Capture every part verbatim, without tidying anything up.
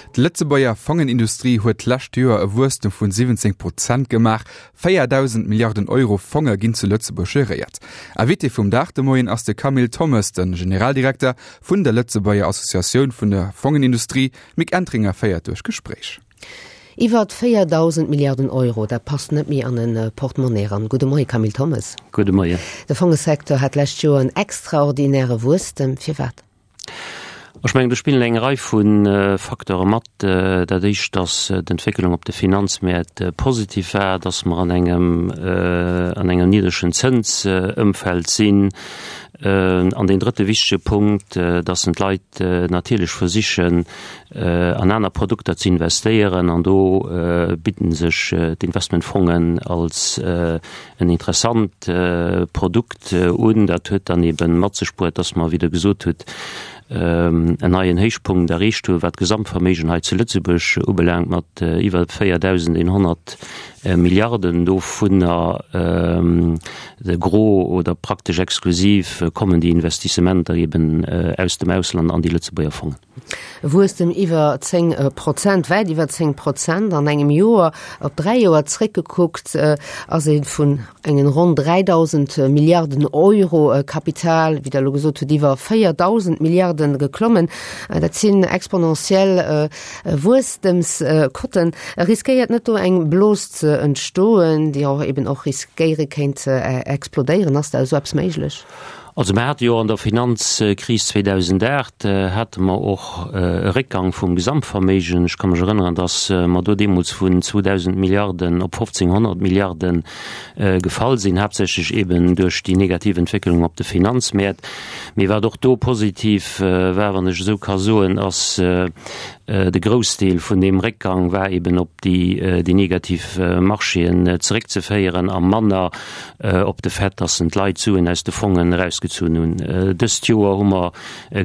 D'Lëtzebuerger Fongenindustrie huet d'lescht Joer e Wuesstem vun siwwenzéng Prozent gemaach. véierdausend Milliarden Euro Fonge ginn zu Lëtzebuerg geréiert. Invité vum Dag de Moien ass de Camille Thommes, de Generaldirekter vun der Lëtzebuerger Associatioun vun der Fongenindustrie. D'Mick Entringer féiert duerch d'Gespréich. Iwwer véierdausend Milliarden Euro, dat passt net méi an e Portemonnaie eran. Gudde Moie Camille Thommes. Gudde Moien. De Fongesecteur hat d'lescht Joer en extraordinäre Wuesstem. Firwat? Ech mengen, do spillen eng Rei vu Facteure mat. Dat éischt, datt d'Entwécklung op de Finanzmäert positiv war, datt mer an engem an engem niddregen Zënsëmfeld sinn. An deen drëtte wichtege Punkt, datt d'Leit natierlech versichen, an aner Produkter ze investéieren. An do bidden sech d'Investmentfongen als en interessant Produkt un. Dat huet dann eeben mat sech bruet, datt mer, wéi Der gesot hutt, en neien Héichpunkt erreecht hu wat d'Gesamtverméigen hei zu Lëtzebuerg ubelaangt, mat iwwer véierdausendeenhonnert Milliarden. Dovunner de Gros oder praktesch exklusiv kommen déi Investissementer eben aus dem Ausland an déi Lëtzebuerger Fongen. E Wuesstem iwwer zéng Prozent, wäit iwwer zéng Prozent an engem Joer. Op dräi Joer zréckgekuckt ass ee vun engen ronn dräidausend Milliarden Euro Kapital, wéi Der elo gesot hutt, iwwer véierdausend Milliarden geklommen. Dat sinn exponentiell Wuesstemscotten. Riskéiert net do eng Blos ze entstoen, déi och eben och riskéiere kéint ze explodéieren? Ass da esou eppes méiglech? Also mer hate jo an der Finanzkris zweedausendacht hate mer och e Réckgang vum Gesamtverméigen. Ech ka mech erënneren, datt mer do deemools vun zweedausend Milliarden op fofzénghonnert Milliarde gefall sinn, haaptsächlech eeben duerch déi negativ Entwécklung op de Finanzmäert. Mee wat och do positiv war, wann ech esou ka soen, ass de Groussdeel vun deem Réckgang war eeben op déi negativ Marchéen zeréckzeféieren a manner op de Fait, dass en d'Leit Suen aus de Fongen erausgezunn hunn. Dëst Joer hu mer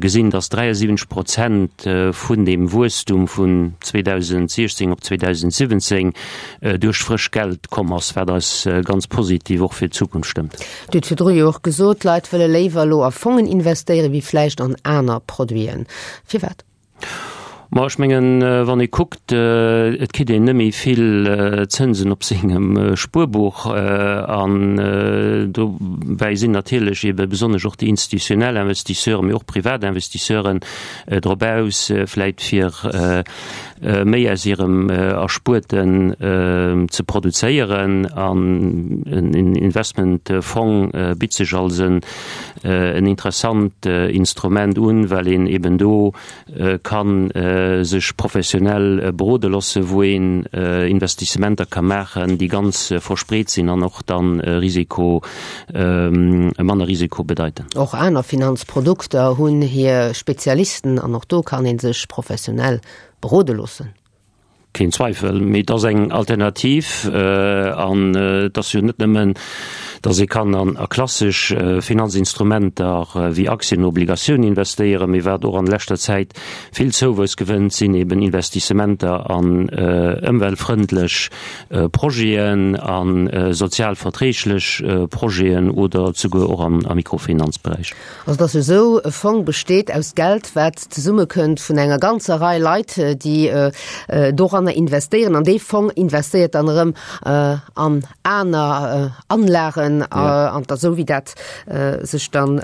gesinn, dass dräiasiwwenzeg Prozent vun deem Wuesstum vun zweedausentsiechzéng op zweedausentsiwwenzéng duerch frësch Geld komm ass, wat eis ganz positiv och fir d'Zukunft stëmmt. Dir hutt virdru jo och gesot, d'Leit wëlle léiwer elo a Fongen investéieren, wéi vläicht an aner Produiten. Firwat? Ma ech mengen, wann ee kuckt, et kritt een net méi vill Zënsen op sengem Spuerbuch. An dobäi sinn natierlech eebe besonnesch och déi institutionell Investisseuren, mee och privat Investisseuren drop aus, vläit fir méi aus hirem Erspuerten ze produzéieren. An en Investmentfong bitt sech als en interessant Instrument un, well een eeben do ka sech professionell berode loossen, wou een Investissementer ka maachen, déi ganz verspreet sinn an och dann Risiko, manner Risiko bedeiten. Och aner Finanzprodukter hunn hir Spezialisten an och do kann ee sech professionell berode loossen. Keen Zweifel, mee et ass eng Alternativ an et ass jo net nëmmen, datt ee kann an a klassesch Finanzinstrumenter wéi Aktien, Obligatiounen investéieren, mee wat och an leschter Zäit vill Zouwuess gewënnt, sinn eben Investissementer an ëmweltfrëndlech Projeten, a sozial verträglech Projeten oder souguer och am Mikrofinanzberäich. Also et ass jo esou, e Fong besteet aus Geld, wat zesummekënnt vun enger ganzer Rei Leit, déi doranner investéieren. An dee Fong investéiert dann erëm an aner Anlagen, an da esou wéi dat sech dann,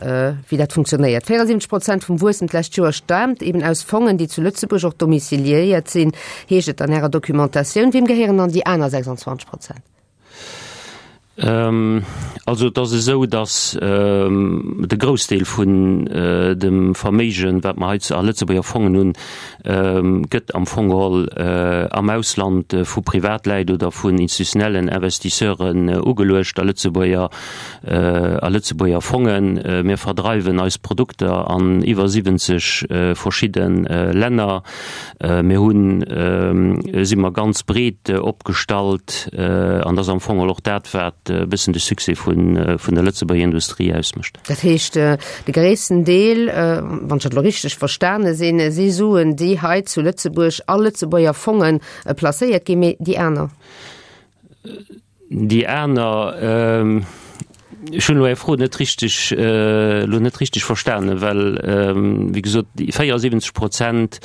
wéi dat funktionéiert. véierundsiwwenzeg Prozent vum Wuesstem d'lescht Joer staamt eben aus Fongen, déi zu Lëtzebuerg och domiciliéiert sinn, heescht et an Ärer Documentatioun. Weem gehéieren dann déi aner sechsundzwanzeg Prozent? Also et ass esou, datt de Groussdeel vun dem Verméigen, wat mer hei a Lëtzebuerger Fongen hunn, gëtt am Fong geholl am Ausland vu Privatläit oder vun institutionellen Investisseuren ugeluecht a Lëtzebuerger, a Lëtzebuerger Fongen. Mir verdreiwen eis Produkter an iwwer siwwenzeg verschidde Länner. Mir hunn, si mer ganz breet opgestallt an dat ass am Fong och dat, wat e bëssen de Succès vun der Lëtzebuerger Industrie ausmécht. Dat heescht, de gréissten Deel, wann ech dat elo richteg verstane sinn, si Suen, déi hei zu Lëtzebuerg a Lëtzebuerger Fonge placéiert ginn, mee déi aner? Déi aner, Ech hunn elo Är Fro net richteg, elo net richteg verstanen, well, wéi gesot, déi véierundsiwwenzeg Prozent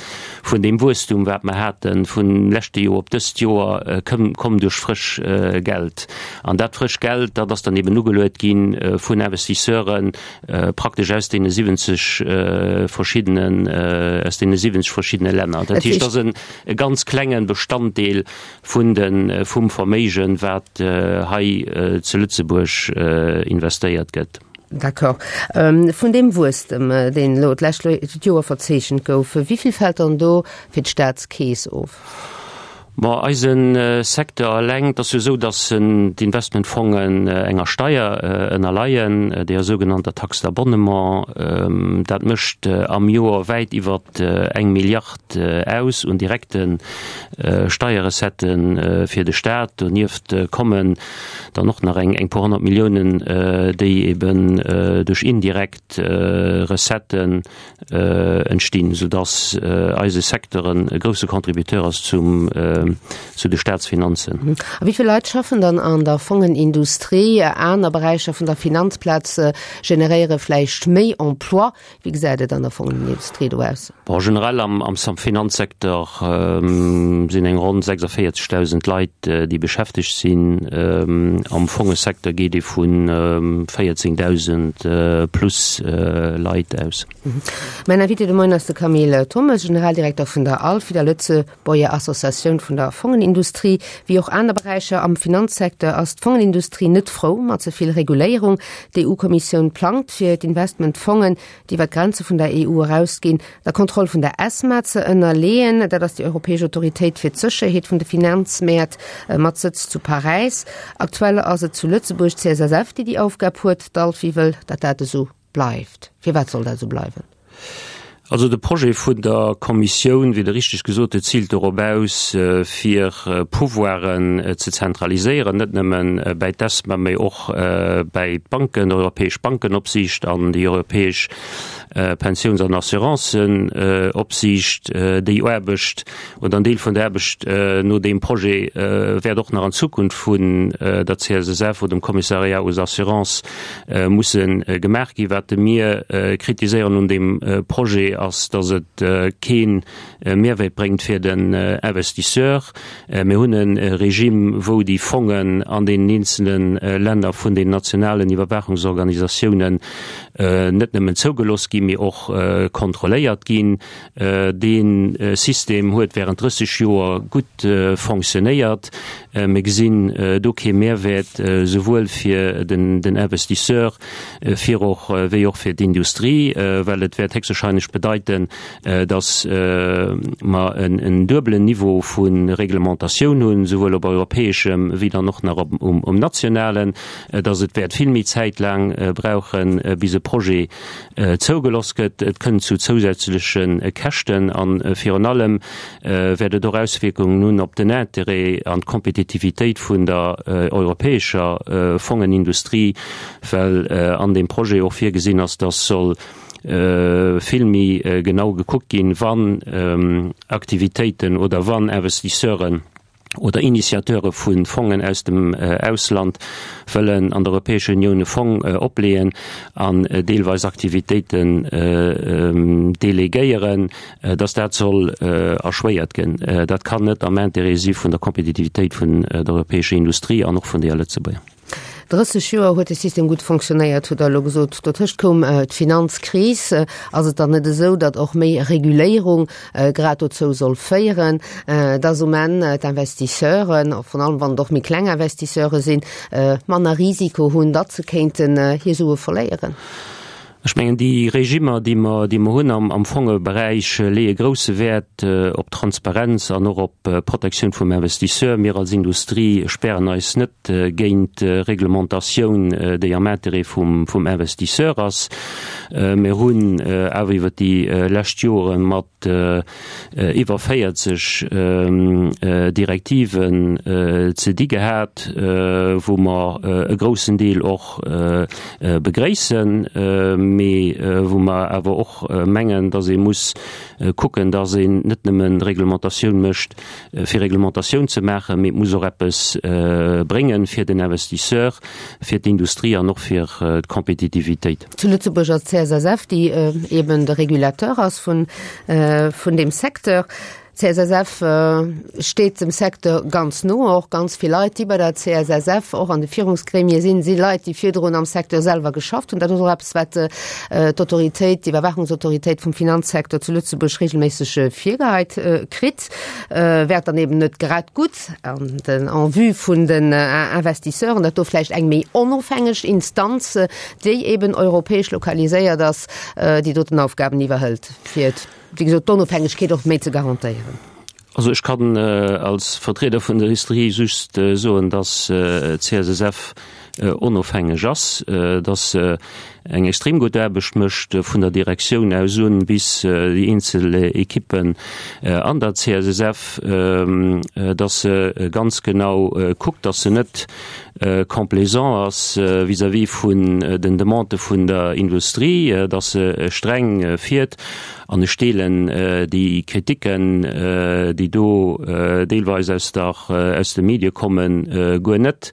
vun deem Wuesstum, wat mer haten, vun leschte Joer op dëst Joer, koum, komm duerch frësch Geld. An dat frësch Geld, dat ass dann eben ugeluet gi vun Investisseuren, praktesch aus deene siwwenzeg verschiddenen, aus deene siwwenzeg verschiddene Länner. Dat heescht, dat ass en e ganz klenge Bestanddeel vun de, vum Verméigen, wat hei zu Lëtzebuerg investéiert gëtt. D'accord. Vun deem Wuesstem, deen elo d'lescht Joer verzeechent gouf, wéi vill fält dann do fir d'Staatskeess of? Bon, eise Secteur eleng, et ass jo esou, datt d'Investmentfongen enger Steier ënnerleien, deeër sougenannter Taxe d'abonnement. Dat mécht am Joer wäit iwwer eng Milliard aus un direkte Steierrecettë fir de Staat. Donieft kommen dann och nach eng puer honnert Milliounen, déi eben duerch indirekt Recetten entstinn, soudass eise Secteur e grousse Contributeur ass zum, zu de Staatsfinanzen. A wéi vill Leit schaffen dann an der Fongenindustrie? Aner Beräicher vun der Finanzplaz generéiere vläicht méi Emploi. Wéi gesäit et an der Fongenindustrie do aus? Bon, generell am, am Finanzsecteur sinn eng ronn sechsundvéierzegdausend Leit, déi beschäftegt sinn. Am Fongesecteur geet ee vu véierzéngdausend plus Leit aus. Mäin Invité de Moien ass de Camille Thommes, Generaldirekter vun der ALFI, der Lëtzebuerger Associatioun vun der Fongenindustrie. Wéi och aner Beräicher am Finanzsecteur ass d'Fongenindustrie net frou mat ze vill Reguléierung. D'EU-Kommissioun plangt, fir d'Investmentfongen, déi iwwer d'Grenze vun der E U erausginn, der Kontroll vun der ESMA ze ënnerleeën. Dat ass déi europäesch Autoritéit fir d'Sécherheet vun de Finanzmäert mat Sëtz zu Paräis. Aktuell ass et zu Lëtzebuerg d'C S S F, déi déi Aufgab huet. D'ALFI wëll, datt dat esou bleift. Firwat soll dat esou bleiwen? Also de Projet vun der Kommissioun, wéi Der richteg gesot hutt, ziilt dorop aus, fir Pouvoiren ze zentraliséieren, net nëmmen bäi d'ESMA, mee och bäi d'Banken, d'Europäesch Bankenopsiicht an déi europäesch Pensiouns- an Assurancenopsiicht. Déi Aarbecht oder en Deel vun der Aarbecht no deem Projet wäert och nach an Zukunft vun der C S S F oder dem Commissariat aux Assurances musse gemaach ginn. Wat mir kritiséieren un deem Projet ass, dass et kee Mehrwäert bréngt fir den Investisseur. Mir hunn e Regime, wou déi Fongen an den eenzelne Länner vun den nationalen Iwwerwaachungsorganisatiounen net nëmmen zougelooss ginn, mee och kontrolléiert ginn. Dee System huet während drësseg Joer gutt fonctionnéiert. Mir gesinn do kee Mehrwäert, souwuel fir den, den Investisseur, fir och, wéi och fir d'Industrie, well et wäert héchstwahrscheinlech bedeiten, dass mer en, en duebelen Niveau vu Reglementatioun hunn, souwuel op europäeschem wéi dann och nach op, um, um nationalen, dass et wäert vill méi Zäit laang brauchen, bis e Projet zougeloss gëtt. Et kënnt zu zousätzleche Käschten an virun allem wäert et och Auswierkungen hunn op den Intérêt an d'Kompetitivitéit vun der europäescher Fongenindustrie, well an dem Projet och virgesinn ass, dass soll vill méi genau gekuckt ginn, wann Aktivitéiten oder wann Investisseuren oder Initiateure vun Fongen aus dem Ausland wëllen an der Europäescher Unioun e Fong opleeën an deelweis Aktivitéiten delegéieren, dass dat soll erschwéiert ginn. Dat kann net am Intérêt si vun der Kompetitivitéit vun der europäescher Industrie an och vun der Lëtzebuerger. Drësseg Joer huet de System gutt fonctionnéiert, hutt Der elo gesot. Dotëscht koum d'Finanzkris. Ass et dann net esou, datt och méi Reguléierung grad dozou soll féieren, datt um Enn d'Investisseuren, virun allem wann et och méi kleng Investisseure sinn, manner Risiko hunn, datt se kéinten hir Sue verléieren? Ech mengen, déi Regimer, déi mer, déi mer hunn am, am Fongeberäich, leeë grousse Wäert op Transparenz an och op Protektioun vum Investisseur. Mir als Industrie sperren eis net géint Reglementatioun, déi am Intérêt vum, vum Investisseur ass. Mir hunn awer iwwer déi lescht Jore mat iwwer véierzeg Direktiven ze di gehat, wou mer e groussen Deel och begréissen. mee wou mer awer och mengen, dass ee muss kucken, dass een net nëmmen Reglementatioun mécht, fir Reglementatioun ze maachen, mee et muss och eppes bréngen fir den Investisseur, fir d'Industrie an och fir d'Kompetitivitéit. Zu Lëtzebuerg ass d'CSSF, déi eben de Régulateur ass vun deem Secteur. D'CSSF steet dem Secteur ganz no. Och ganz vill Leit, déi bei der CSSF och an de Führungsgremie sinn, si Leit, déi virdrun am Secteur selwer geschafft hunn. Dat ass och eppes, wat d'Autoritéit, d'Iwwerwaachungsautoritéit vum Finanzsecteur zu Lëtzebuerg regelméisseg virgeheit kritt. Wär et dann eben net grad gutt an den, en vue vun den Investisseuren, datt do vläicht eng méi onofhängeg Instanz, déi eben europäesch lokaliséiert ass, déi doten Aufgaben iwwerhëlt, fir wéi gesot, d'Onofhängegkeet och méi ze garantéieren? Also ech kann als Vertrieder vun der Industrie just soen, dass d'CSSF onofhängeg ass, dass se eng extrem gutt Aarbecht mécht, vun der Direktioun aus un bis déi eenzel Ekippen an der CSSF, dass se ganz genau kuckt, dass se net complaisant ass vis-à-vis vun den Demandë vun der Industrie, dass se streng fiert. An ech deelen déi Kritiken, déi do deelweis aus der, aus de Medie kommen, guer net.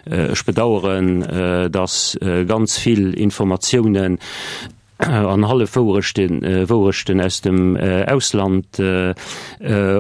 Ech bedauern, dass ganz vill Informatiounen an Hallefwouerechten, Wouerechten aus dem Ausland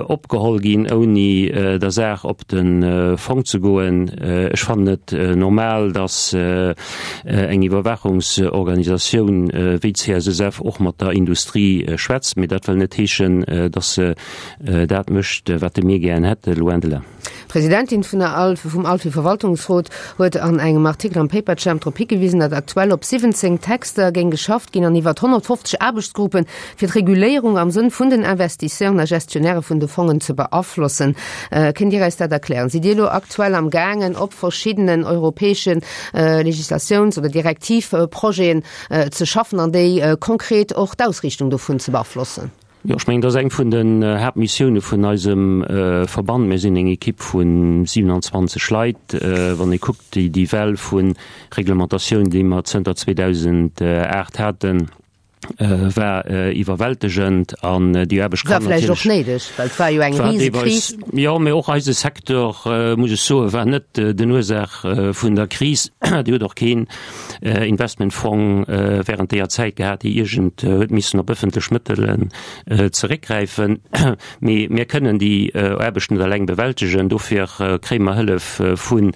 opgeholl ginn, ouni der Saach op de Fong ze goen. Ech fannen et normal, dass eng Iwwerwaachungsorganisatioun wéi d'CSSF och mat der Industrie schwätzt, mee dat wëll net heeschen, dass se dat mécht, wat de mir gären hätte, loin de là. D'Presidentin vun der ALFE, vum ALFE-Verwaltungsrot huet an engem Artikel am Paperjam drop higewisen, datt aktuell op siwwenzéng Texter géing geschafft ginn an iwwert honnertfofzeg Aarbechtsgruppen, fir d'Reguléierung am Sënn vun den Investisseuren a Gestionnairë vun de Fongen ze beaflossen. Kënnt Dir eis dat erklären? Sidd Dir elo aktuell am gaangen, op verschiddenen europäesche Legislatiouns oder Direktivprojeten ze schaffen an déi konkret och d'Ausriichtung dovun ze beaflossen? Jo, ech mengen, dat ass eng vun den Haaptmissioune vun eisem Verband. Mir sinn eng Ekipp vu siewenanzwanzeg Leit. Wann ee kuckt, déi déi Well vu Reglementatioun, déi mer zënter zweedausendacht haten, war iwwerwältegend an déi Aarbecht kann natierlech. War vläicht och néideg, well et war jo eng Risekris. Jo, mee och eise Secteur, muss ech soen, war net den Ursaach vun der Kris. Dir hutt och keen Investmentfong während deeër Zäit gehat, déi iergend huet missen op ëffentlech Mëttelen zeréckgräifen. Mee mir kënnen déi Aarbecht net eleng bewältegen. Dofir kréie mer Hëllef vu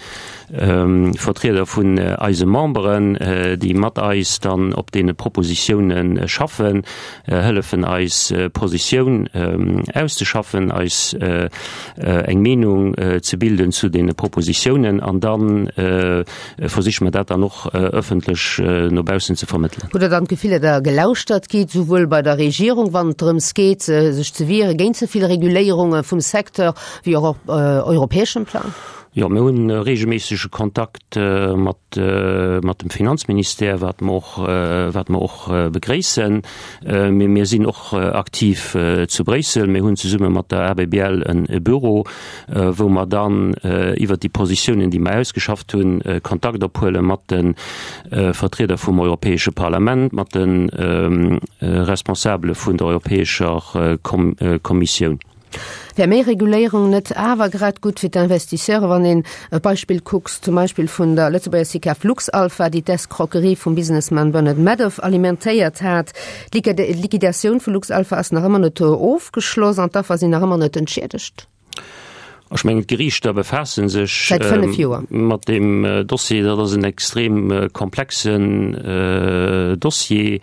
Vertrieder vun eise Memberen, déi mat eis dann op deene Propositiounen schaffen, hëllefen eis Positioun auszeschaffen, eis eng Meenung ze bilden zu deene Propositiounen an da versiche mer dat dann och ëffentlech no baussen ze vermëttelen. Hutt Der dann d'Gefill, datt Der gelauschtert gitt, souwuel bei der Regierung, wann et drëms geet, sech ze wiere géint ze vill Reguléierunge vum Secteur, wéi och op europäeschem Plang? Jo, mir hunn e reegelméissege Kontakt mat mat dem Finanzministère, wat mer och wat mer och begréissen. Mee mir sinn och aktiv zu Bréissel. Mir hunn zesumme mat der A B B L e Büro, wou mer dann iwwert déi Positiounen, déi mer ausgeschafft hunn, Kontakt ophuele mat de Vertrieder vum Europäesche Parlament, mat de Responsabele vun der Europäescher Kommissioun. Wär méi Reguléierung net awer grad gutt fir d'Investisseure, wann een e Beispill kucks, zum Beispill vun der Lëtzebuerger SICAV Luxalpha, déi d'Escroquerie vum Businessman Bernard Madoff alimentéiert hat? D'Liquidatioun vu Luxalpha ass nach ëmmer net ofgeschloss an d'Affer sinn nach ëmmer net entschiedegt. Ech mengen, d'Geriichter befaasse sech Säit fënnef Joer. mat deem Dossier. Dat ass en extrem komplexen Dossier.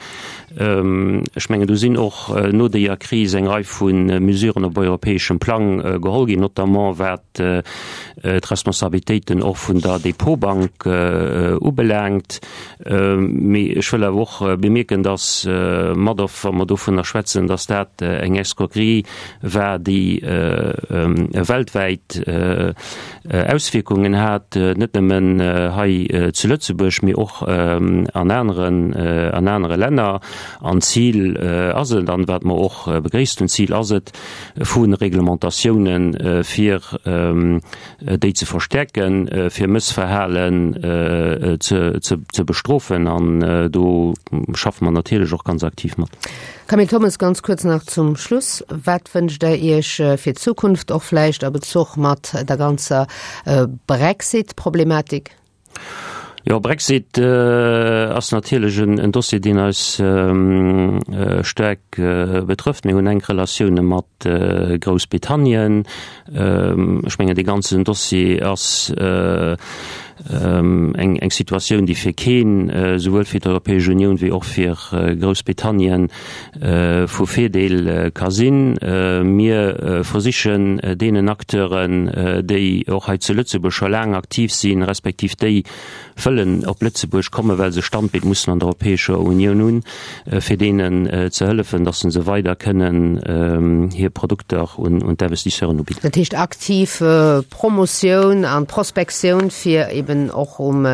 Ech mengen, do sinn och no deeër Kris eng Rei vu Mesuren op europäeschem Plang geholl ginn, notamment wat d'Responsabilitéiten och vun der Depotbank ubelaangt. Mee ech wëll awer och bemierken, dass Madoff, wa mer dovunner schwätzen, dass dat eng Escroquerie war, déi weltwäit weltwäit Auswierkungen hat, net nëmmen hei zu Lëtzebuerg, mee och an aneren, an anere Länner. An d'Zil ass et, an wat mer och begréisst hunn, d'Zil ass et vu Reglementatiounen, fir déi ze verstärken, fir Mëssverhalen ze, ze, ze bestrofen. An do schaffe mer natierlech och ganz aktiv mat. Camille Thommes, ganz kuerz nach zum Schluss, Wat wënscht Der Iech fir d'Zukunft, och vläicht a Bezuch mat der ganzer Brexit-Problematik? Jo, Brexit ass natierlech en Dossier, deen eis staark betrëfft. Mir hunn enk Relatioune mat Groussbritannien. Ech mengen, dee ganzen Dossier ass eng eng Situatioun, déi fir keen, souwuel fir d'Europäesch Unioun wéi och fir Groussbritannien, vu Virdeel ka sinn. Mir versichen deenen Acteuren, déi och hei zu Lëtzebuerg scho laang aktiv sinn, respektiv déi wëllen op Lëtzebuerg kommen, well se Standbeet mussen an der Europäescher Unioun hunn, fir deenen ze hëllefen, datt se weider kënnen hir Produkter un d'Investisseuren ubidden. Dat heescht aktiv Promotioun an Prospektioun, fir eben och um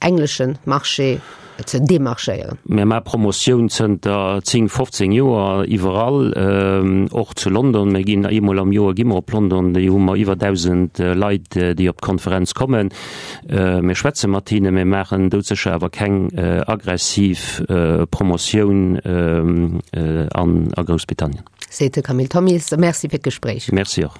englesche Marché ze demarchéieren. Mir maache Promotioun zënter zéng, fofzéng Joer iwwerall, och zu London. Mir ginn eemol am Joer gi mer op London, do hu mer iwwer dausend Leit, déi op d'Konferenz kommen. Mir schwätze mat hinnen, mir maachen doudsécher awer keng aggressiv Promotioun an a Groussbritannien. Seet de Camille Thommes. Merci fir d'Gespréich. Merci och.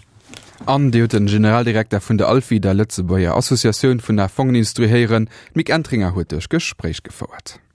An Dir hutt den Generaldirekter vun der ALFI, der Lëtzebuerger Associatioun vun der Fongenindustrie héieren. D'Mick Entringer huet duerch Gespréich gefouert.